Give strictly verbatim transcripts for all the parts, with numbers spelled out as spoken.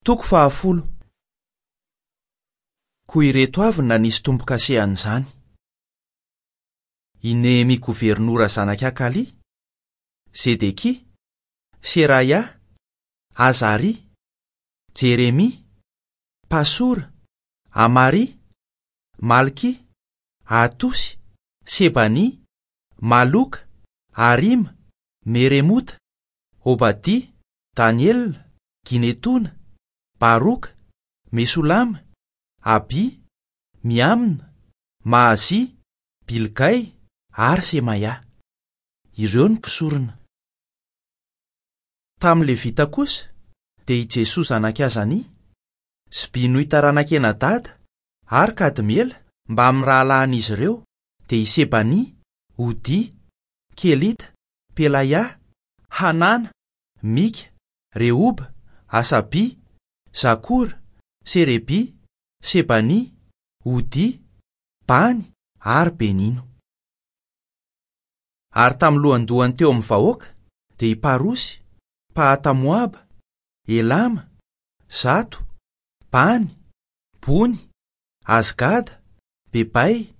Toko fahafolo. Koa ireto avy no nanisy tombo-kase an'izany: I Nehemia governora zanak'i Akalia, Zedekia, Seraia, Azaria, Jeremia, Pasora, Amaria, Malkia, Atosy, Sebania, Maloka, Arima, Meremota, Obadia, Daniela, Ginetona, Baroka, Mesolama, Abia, Miamina, Maazia, Bilgay ary Semaia. Ireo no mpisorona. Tamin'ny Levita kosa dia i Jesoa zanak'i Azania, sy Binoy taranak'i Enadada ary Kadmiela mbamin'ny rahalahin'izy ireo dia i Sebania, Odia, Kelita, Pelaia, Hanana, Mika, Rehoba, Asabia, Zakora, Serebia, Sebania, Odia, Bany ary Benino. Ary tamin'ny lohandohany teo amin'ny vahoaka dia i Parosy, Pahatamoaba, Elama, Zato, Bany, Bony, Azgada, Bebay,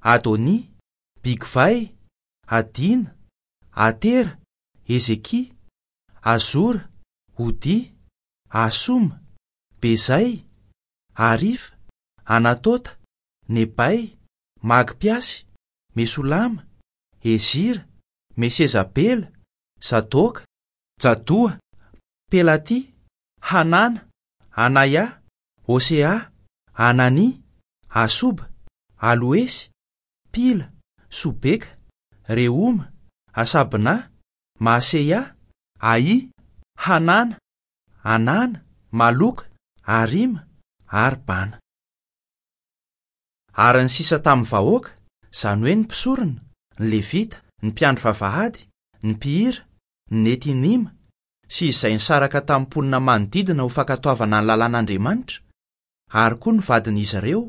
Adonia, Bigvay, Adina, Atera, Hezekia, Azora, Odia, Asoma, Bezay, Arifa, Anatota, Nebay, Magpiasy, Mesolama, Ezira, Mesezabela, Zadoka, Jadoa, Pelatia, Hanana, Anaya, Osea, Anania, Asoba, Aloesy, Pila, Sobeka, Rehoma, Asabna, Maaseia, Ahy, Hanana, Anana, Maloka, Arima ary Bana. Ary ny sisa tamin'ny vahoaka, izany hoe ny mpisorona, ny Levita, ny mpiandry vavahady, ny mpihira, ny Netinima sy izay nisaraka tamin'ny mponina manodidina ho fankatoavana ny lalàn'Andriamanitra, ary koa ny vadin'izy ireo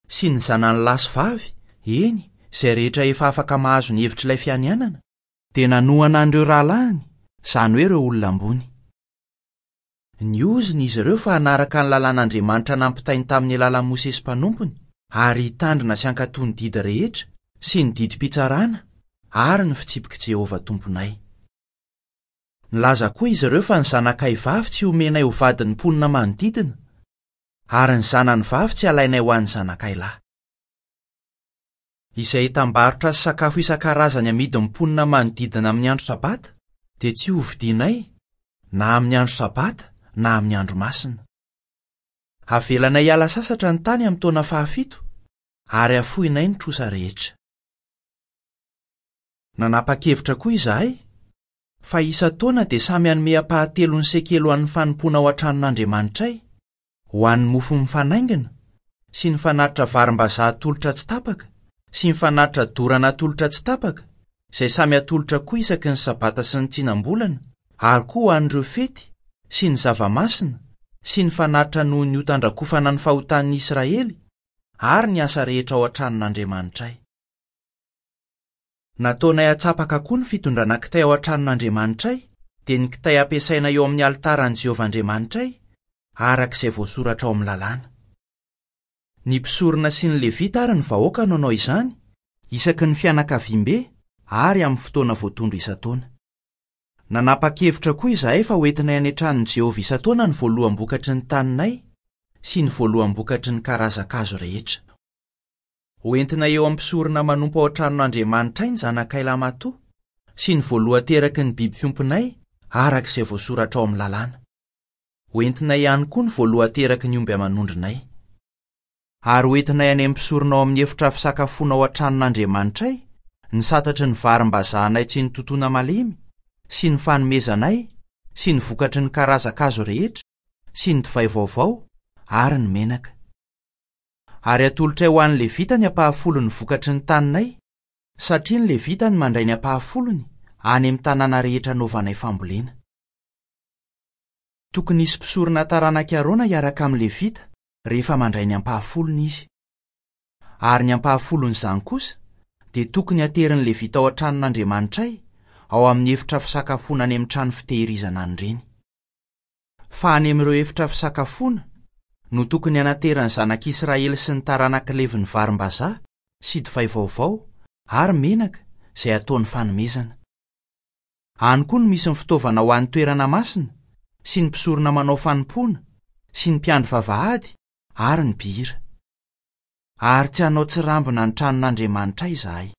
sy ny zanany lahy sy vavy, eny, izay rehetra efa afaka mahazo ny hevitr'ilay fianianana, dia nanohana an'ireo rahalahiny, izany hoe ireo olona ambony. Niozona izy ireo fa hanaraka ny lalàn'Andriamanitra nampitainy tamin'ny alalan'i Mosesy mpanompony, ary hitandrina sy hankatò ny didy rehetra sy ny didim-pitsarana ary ny fitsipik'i Jehovah Tomponay. Nilaza koa izy ireo fa ny zanakay vavy tsy homenay ho vadin'ny mponina manodidina, ary ny zanany vavy tsy alainay ho an'ny zanakay lahy. Izay hitam-barotra sy sakafo isan-karazany amidin'ny mponina manodidina amin'ny andro sabata dia tsy hovidianay na amin'ny andro sabata na amin'ny andro masina. Avelanay hiala sasatra ny tany amin'ny taona fahafito ary afoinay ny trosa rehetra. Nanapa-kevitra koa izahay fa isan-taona dia samy hanome ampahatelon'ny sekely ho an'ny fanompoana ao an-tranon'Andriamanitray, ho an'ny mofo mifanaingina sy ny fanatitra varim-bazaha atolotra tsy tapaka sy ny fanatitra dorana atolotra tsy tapaka, izay samy atolotra koa isaky ny sabata sy ny tsinam-bolana, ary koa ho an'ireo fety sy ny zava-masina sy ny fanatitra noho ny otandrakofana ny fahotan'ny Israely ary ny asa rehetra ao an-tranon'Andriamanitray. Nataonay atsapaka koa ny fitondrana kitay ao an-tranon'Andriamanitray, dia ny kitay ampiasaina eo amin'ny alitaran'i Jehovah Andriamanitray, araka izay voasoratra ao amin'ny lalàna. Ny mpisorona sy ny Levita ary ny vahoaka no nanao izany, isaky ny fianakaviambe ary amin'ny fotoana voatondro isan-taona. Nanapa-kevitra koa izahay fa hoentinay any an-tranon'i Jehovah isan-taona ny voaloham-bokatry ny taninay sy ny voaloham-bokatry ny karazan-kazo rehetra. Hoentina eo amin'ny mpisorona manompo ao an-tranon'Andriamanitray ny zanakay lahimatoa sy ny voalohan-teraky ny biby fiompinay araka izay voasoratra ao amin'ny lalàna. Hoentinay ihany koa ny voalohan-teraky ny omby aman'ondrinay. Ary hoentinay any amin'ny mpisorona ao amin'ny efitra fisakafoana ao an-tranon'Andriamanitray ny satatry ny varim-bazahanay tsy nitontona malemy sy ny fanomezanay sy ny vokatry ny karazan-kazo rehetra sy ny divay vaovao ary ny menaka. Ary atolotray ho an'ny Levita ny ampahafolon'ny vokatry ny taninay, satria ny Levita no mandray ny ampahafolony any amin'ny tanàna rehetra anaovanay fambolena. Tokony hisy mpisorona taranak'i Arona hiaraka amin'ny Levita rehefa mandray ny ampahafolony izy. Ary ny ampahafolon'izany kosa dia tokony haterin'ny Levita ao an-tranon'Andriamanitray, ao amin'ny efitra fisakafoana any amin'ny trano fitehirizana an'ireny. Fa any amin'ireo efitra fisakafoana no tokony hanateran'ny zanak'Israely sy ny taranak'i Levy ny varim-bazaha sy divay vaovao ary menaka izay ataony fanomezana. Any koa no misy ny fitaovana ho an'ny toerana masina sy ny mpisorona manao fanompoana sy ny mpiandry vavahady ary ny mpihira. Ary tsy hanao tsirambina ny tranon'Andriamanitra izahay.